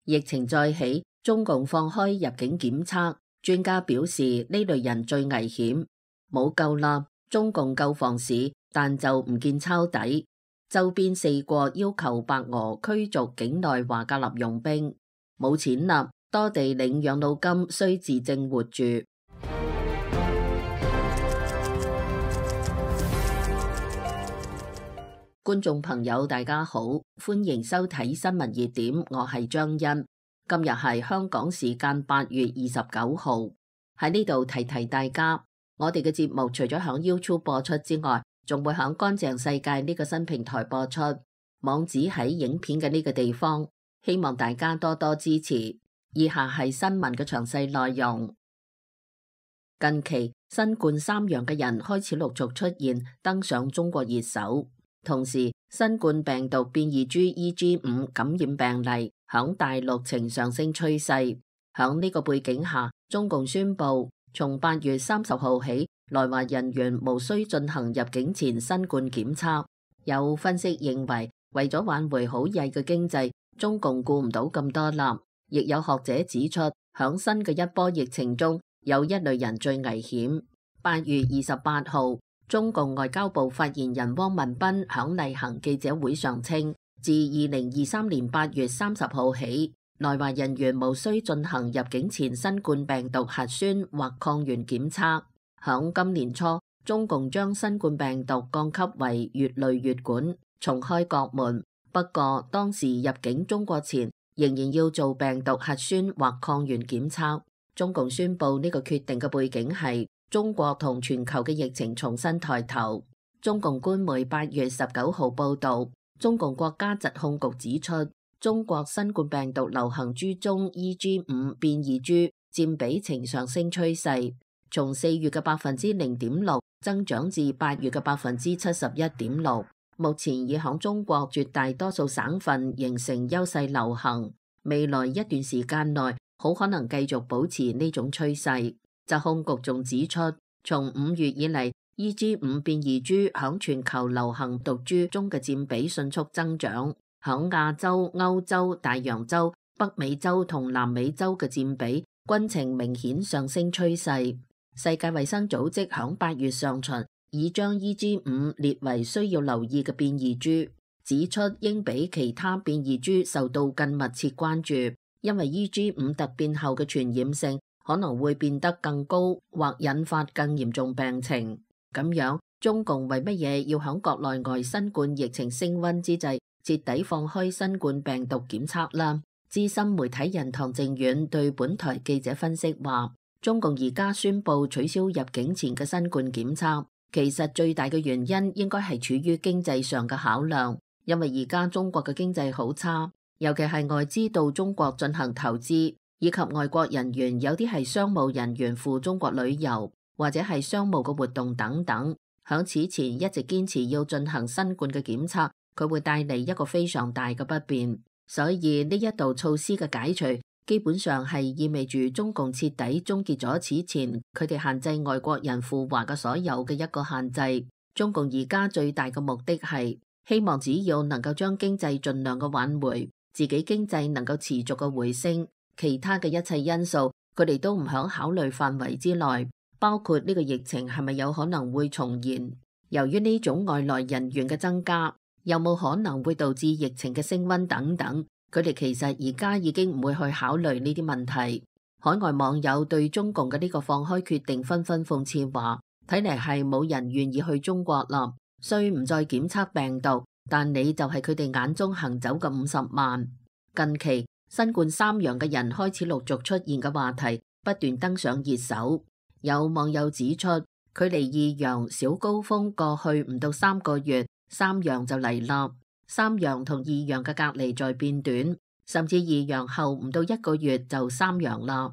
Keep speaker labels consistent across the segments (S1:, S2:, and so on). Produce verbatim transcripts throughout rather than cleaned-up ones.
S1: 疫情再起，中共放開入境檢測，專家表示呢類人最危險。冇救啦，中共救房市，但就唔見抄底。周邊四國要求白俄驅逐境內華格納傭兵，冇錢啦，多地領養老金需自證活住。觀眾朋友大家好，歡迎收睇新聞熱點，我係張欣。今日係香港時間八月二十九號，喺呢度提提大家，我哋嘅節目除咗響 YouTube 播出之外，仲會響乾淨世界呢個新平台播出，網址喺影片嘅呢個地方，希望大家多多支持。以下係新聞嘅詳細內容。近期新冠三陽嘅人開始陸續出現，登上中國熱搜。同時，新冠病毒變異株 E G 五 感染病例響大陸呈上升趨勢。響呢個背景下，中共宣布從八月三十號起，來華人員無需進行入境前新冠檢測。有分析認為，為咗挽回好曳嘅經濟，中共顧唔到咁多啦。亦有學者指出，響新嘅一波疫情中，有一類人最危險。八月二十八號。中共外交部發言人汪文斌響例行記者會上稱，自二零二三年八月三十號起，來華人員無需進行入境前新冠病毒核酸或抗原檢測。響今年初，中共將新冠病毒降級為乙類乙管，重開國門。不過，當時入境中國前，仍然要做病毒核酸或抗原檢測。中共宣布呢個決定嘅背景係，中國同全球嘅疫情重新抬頭。中共官媒八月十九號報道，中共國家疾控局指出，中國新冠病毒流行株中 E G 五 變異株佔比呈上升趨勢，從四月嘅百分之零點六增長至八月嘅百分之七十一點六，目前已響中國絕大多數省份形成優勢流行，未來一段時間內好可能繼續保持呢種趨勢。疾控局仲指出，從五月以嚟 E G 五 變異株響全球流行毒株中嘅佔比迅速增長，響亞洲、歐洲、大洋洲、北美洲同南美洲嘅佔比均呈明顯上升趨勢。世界衛生組織響八月上旬已將 E G 五 列為需要留意嘅變異株，指出應比其他變異株受到更密切關注，因為 E G 五 突變後嘅傳染性可能會變得更高，或引發更嚴重病情。咁樣，中共為乜嘢要響國內外新冠疫情升溫之際，徹底放開新冠病毒檢測啦？資深媒體人唐靖遠對本台記者分析話，中共而家宣布取消入境前嘅新冠檢測，其實最大嘅原因應該係處於經濟上嘅考量，因為而家中國嘅經濟好差，尤其係外資到中國進行投資，以及外國人員有啲係商務人員赴中國旅遊，或者係商務嘅活動等等。響此前一直堅持要進行新冠嘅檢測，佢會帶嚟一個非常大嘅不便。所以呢一道措施嘅解除，基本上係意味住中共徹底終結咗此前佢哋限制外國人赴華嘅所有嘅一個限制。中共而家最大嘅目的係希望只要能夠將經濟盡量嘅挽回，自己經濟能夠持續嘅回升。其他嘅一切因素，佢哋都唔響考慮範圍之內，包括呢個疫情係咪有可能會重現？由於呢種外來人員嘅增加，有冇可能會導致疫情嘅升溫等等，佢哋其實而家已經唔會去考慮呢啲問題。海外網友對中共嘅呢個放開決定紛紛諷刺話，睇嚟係冇人願意去中國啦，雖唔再檢測病毒，但你就係佢哋眼中行走嘅五十萬。近期新冠三陽嘅人開始陸續出現嘅話題不斷登上熱搜，有網友指出，距離二陽小高峰過去唔到三個月，三陽就嚟啦。三陽同二陽嘅隔離在變短，甚至二陽後唔到一個月就三陽啦。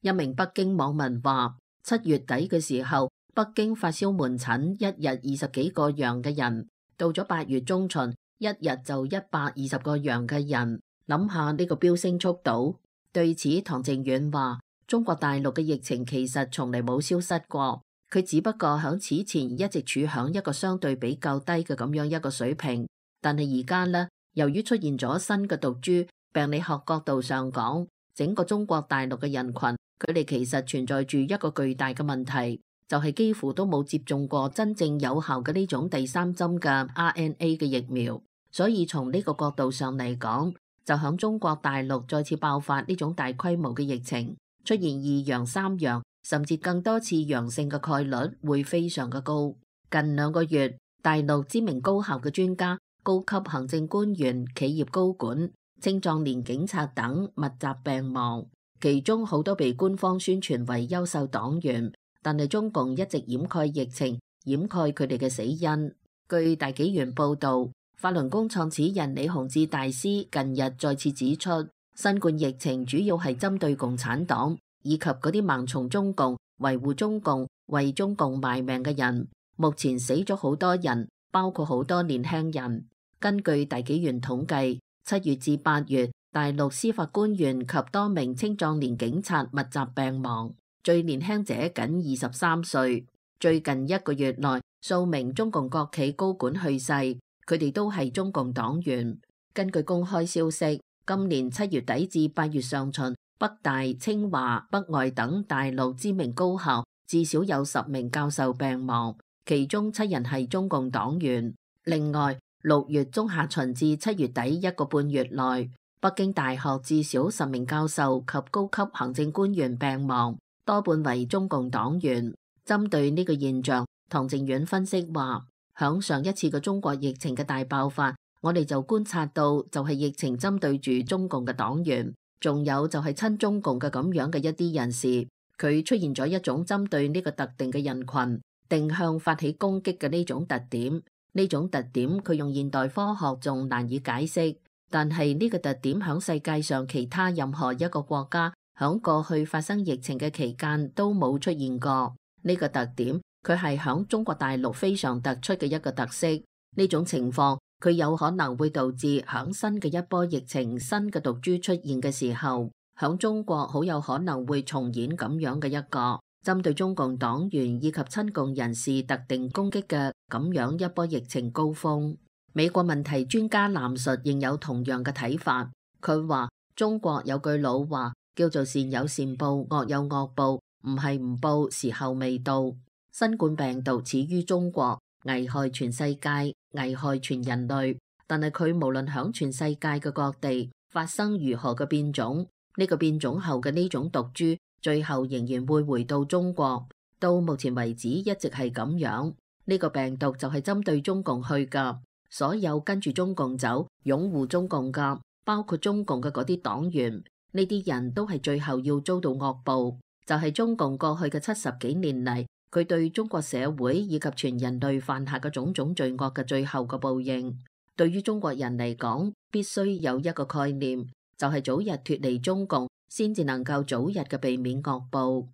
S1: 一名北京網民話，七月底嘅時候，北京發燒門診一日二十幾個陽嘅人，到咗八月中旬，一日就一百二十個陽嘅人。諗下呢個飆升速度。對此，唐靖遠話，中國大陸嘅疫情其實從嚟冇消失過，佢只不過響此前一直處響一個相對比較低嘅咁樣一個水平。但係而家呢，由於出現咗新嘅毒株，病理學角度上講，整個中國大陸嘅人群，佢哋其實存在住一個巨大嘅問題，就係幾乎都冇接種過真正有效嘅呢種第三針嘅 R N A 嘅疫苗。所以從呢個角度上嚟講，就響中國大陸再次爆發呢種大規模嘅疫情，出現二陽、三陽甚至更多次陽性嘅概率會非常嘅高。近兩個月，大陸知名高校嘅專家、高級行政官員、企業高管、青壯年警察等密集病亡，其中好多被官方宣傳為優秀黨員，但係中共一直掩蓋疫情，掩蓋佢哋嘅死因。據大紀元報道，法輪功創始人李洪志大師近日再次指出，新冠疫情主要係針對共產黨以及嗰啲盲從中共、維護中共、為中共賣命嘅人。目前死咗好多人，包括好多年輕人。根據大紀元統計，七月至八月，大陸司法官員及多名青壯年警察密集病亡，最年輕者僅二十三歲。最近一個月內，數名中共國企高管去世，佢哋都係中共黨員。根據公開消息，今年七月底至八月上旬，北大、清華、北外等大陸知名高校至少有十名教授病亡，其中七人係中共黨員。另外，六月中下旬至七月底一個半月內，北京大學至少十名教授及高級行政官員病亡，多半為中共黨員。針對呢個現象，唐靖遠分析話，響上一次嘅中國疫情嘅大爆發，我哋就觀察到就係疫情針對住中共嘅黨員，仲有就係親中共嘅咁樣嘅一啲人士，佢出現咗一種針對呢個特定嘅人群定向發起攻擊嘅呢種特點。呢種特點佢用現代科學仲難以解釋，但係呢個特點響世界上其他任何一個國家響過去發生疫情嘅期間都冇出現過。呢個特點佢係響中國大陸非常突出嘅一個特色。呢種情況佢有可能會導致響新嘅一波疫情、新嘅毒株出現嘅時候，響中國好有可能會重演咁樣嘅一個針對中共黨員以及親共人士特定攻擊嘅咁樣一波疫情高峰。美國問題專家藍述仍有同樣嘅睇法，佢話中國有句老話叫做善有善報，惡有惡報，唔係唔報，時候未到。新冠病毒始於中國，危害全世界，危害全人類，但係佢無論響全世界嘅各地發生如何嘅變種，呢個變種後嘅呢種毒株最後仍然會回到中國。到目前為止一直係咁樣，呢個病毒就係針對中共去噶，所有跟住中共走、擁護中共噶，包括中共嘅嗰啲黨員，呢啲人都係最後要遭到惡報，就係中共過去嘅七十幾年嚟，佢對中國社會以及全人類犯下嘅種種罪惡嘅最後嘅報應。對於中國人嚟講，必須有一個概念，就係早日脫離中共，先至能夠早日嘅避免惡報。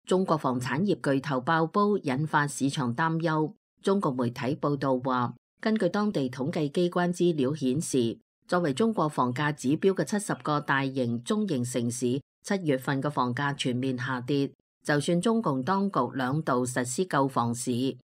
S1: 中國房產業巨頭爆煲，引發市場擔憂。中國媒體報道話，根據當地統計機關資料顯示，作為中國房價指標嘅七十個大型、中型城市，七月份嘅房價全面下跌。就算中共當局兩度實施救房市，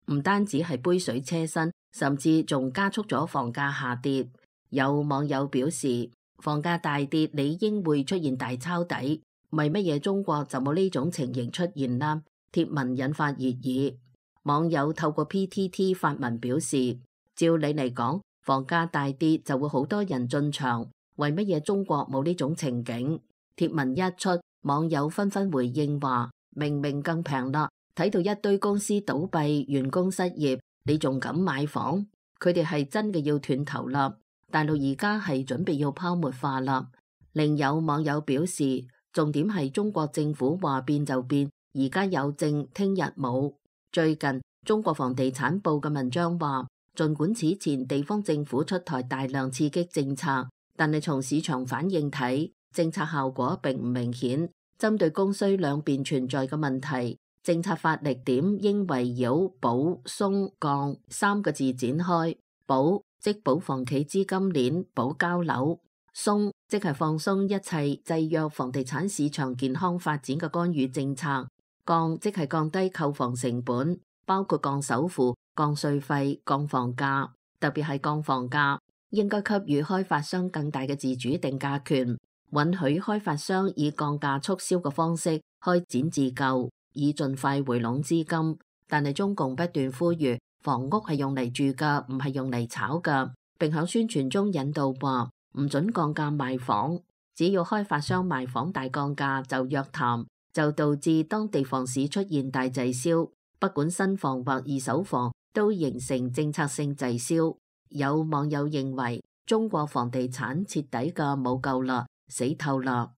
S1: 唔單止係杯水車薪，甚至仲加速咗房價下跌。有網友表示，房價大跌理應會出現大抄底，為乜嘢中國就冇呢種情形出現啦？貼文引發熱議，網友透過 P T T 發文表示，照理嚟講，房價大跌就會好多人進場，為乜嘢中國冇呢種情景？貼文一出，網友紛紛回應話，明明更平啦，睇到一堆公司倒閉、員工失業，你仲敢買房？佢哋係真嘅要斷頭啦！大陸而家係準備要泡沫化啦。另有網友表示，重點係中國政府話變就變，而家有證，聽日冇。最近中國房地產報嘅文章話，儘管此前地方政府出台大量刺激政策，但係從市場反應睇，政策效果並唔明顯。針對供需兩邊存在嘅問題，政策發力點應圍繞保、鬆、降三個字展開。保即保房企資金鏈，保交樓；鬆即係放鬆一切制約房地產市場健康發展嘅干預政策；降即係降低購房成本，包括降首付、降稅費、降房價，特別係降房價。應該給予開發商更大嘅自主定價權，允許開發商以降價促銷嘅方式開展自救，以盡快回籠資金。但係中共不斷呼籲房屋係用嚟住㗎，唔係用嚟炒㗎，並響宣傳中引導話唔准降價賣房，只要開發商賣房大降價就約談，就導致當地房市出現大滯銷，不管新房或二手房都形成政策性滯銷。有網友認為中國房地產徹底嘅冇救啦，死透啦。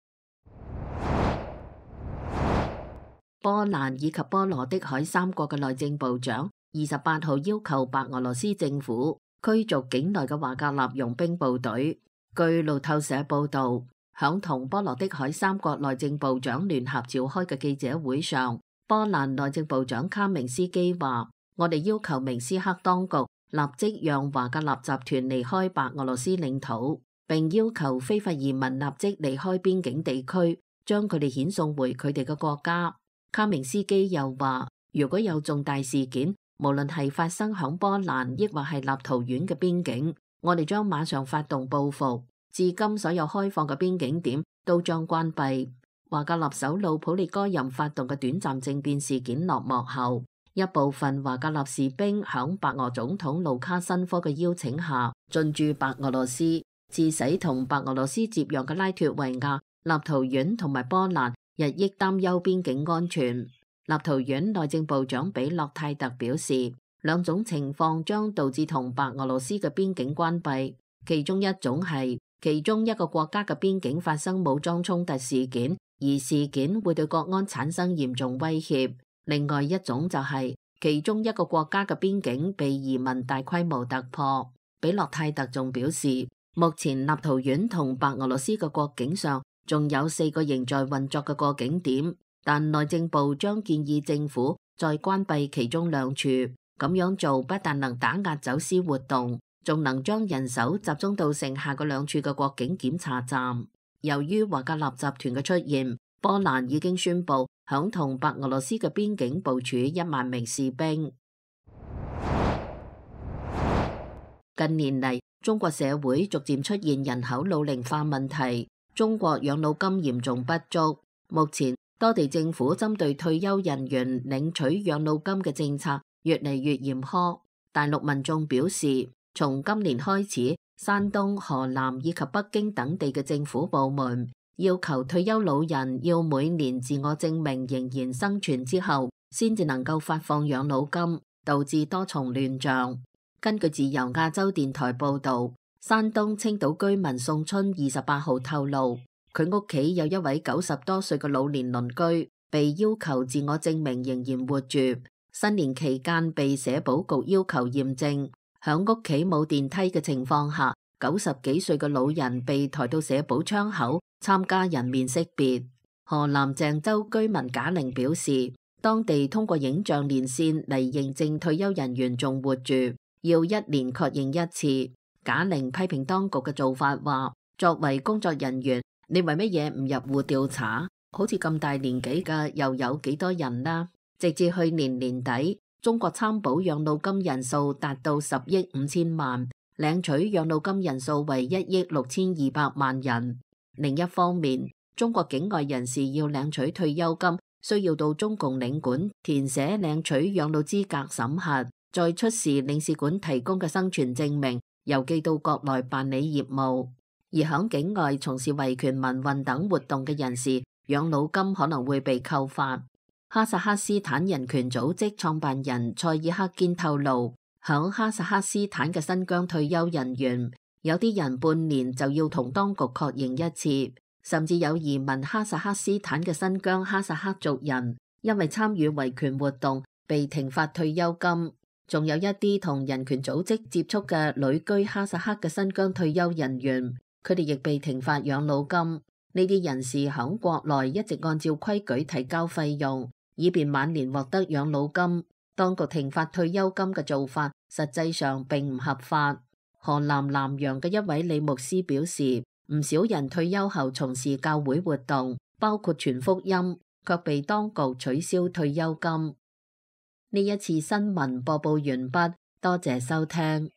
S1: 波蘭以及波羅的海三國嘅內政部長二十八號要求白俄羅斯政府驅逐境內嘅華格納傭兵部隊。據路透社報道，響同波羅的海三國內政部長聯合召開嘅記者會上，波蘭內政部長卡明斯基話：我哋要求明斯克當局立即讓華格納集團離開白俄羅斯領土，並要求非法移民立即離開邊境地區，將佢哋遣送回佢哋嘅國家。卡明斯基又話：如果有重大事件，無論係發生響波蘭抑或係立陶宛嘅邊境，我哋將馬上發動報復。至今所有開放嘅邊境點都將關閉。華格納首腦普列戈任發動嘅短暫政變事件落幕後，一部分華格納士兵響白俄總統盧卡申科嘅邀請下進駐白俄羅斯，致使同白俄羅斯接壤嘅拉脫維亞、立陶宛同埋波蘭日益擔憂邊境安全。立陶宛內政部長比洛泰特表示，兩種情況將導致同白俄羅斯嘅邊境關閉，其中一種係其中一個國家嘅邊境發生武裝衝突事件，而事件會對國安產生嚴重威脅。另外一種就係其中一個國家嘅邊境被移民大規模突破。比洛泰特仲表示，目前立陶宛同白俄羅斯嘅國境上仲有四個仍在運作嘅過境點，但內政部將建議政府再關閉其中兩處。咁樣做不但能打壓走私活動，仲能將人手集中到剩下嗰兩處嘅國境檢查站。由於華格納集團嘅出現，波蘭已經宣布響同白俄羅斯嘅邊境部署一萬名士兵。近年嚟，中國社會逐漸出現人口老齡化問題，中國養老金嚴重不足。目前多地政府針對退休人員領取養老金嘅政策越嚟越嚴苛。大陸民眾表示，從今年開始，山東、河南以及北京等地嘅政府部門要求退休老人要每年自我證明仍然生存之後，先至能夠發放養老金，導致多重亂象。根據自由亞洲電台報道，山東青島居民宋春二十八號透露，佢屋企有一位九十多歲嘅老年鄰居，被要求自我證明仍然活住。新年期間被社保局要求驗證，響屋企冇電梯嘅情況下，九十幾歲嘅老人被抬到社保窗口參加人面識別。河南鄭州居民賈玲表示，當地通過影像連線嚟認證退休人員仲活住，要一年確認一次。賈玲批評當局嘅做法，話作為工作人員，你為乜嘢唔入戶調查？好似咁大年紀嘅又有幾多人啦？直至去年年底，中國參保養老金人數達到十億五千萬，領取養老金人數為一億六千二百萬人。另一方面，中國境外人士要領取退休金，需要到中共領館填寫領取養老資格審核，再出示領事館提供嘅生存證明，郵寄到國內辦理業務。而響境外從事維權民運等活動嘅人士，養老金可能會被扣發。哈薩克斯坦人權組織創辦人蔡爾克堅透露，響哈薩克斯坦嘅新疆退休人員，有啲人半年就要同當局確認一次，甚至有移民哈薩克斯坦嘅新疆哈薩克族人，因為參與維權活動被停發退休金。仲有一啲同人權組織接觸嘅旅居哈薩克嘅新疆退休人員，佢哋亦被停發養老金。呢啲人士響國內一直按照規矩提交費用，以便晚年獲得養老金。當局停發退休金嘅做法，實際上並唔合法。河南南陽嘅一位李牧師表示，唔少人退休後從事教會活動，包括傳福音，卻被當局取消退休金。呢一次新聞播報完畢，多謝收聽。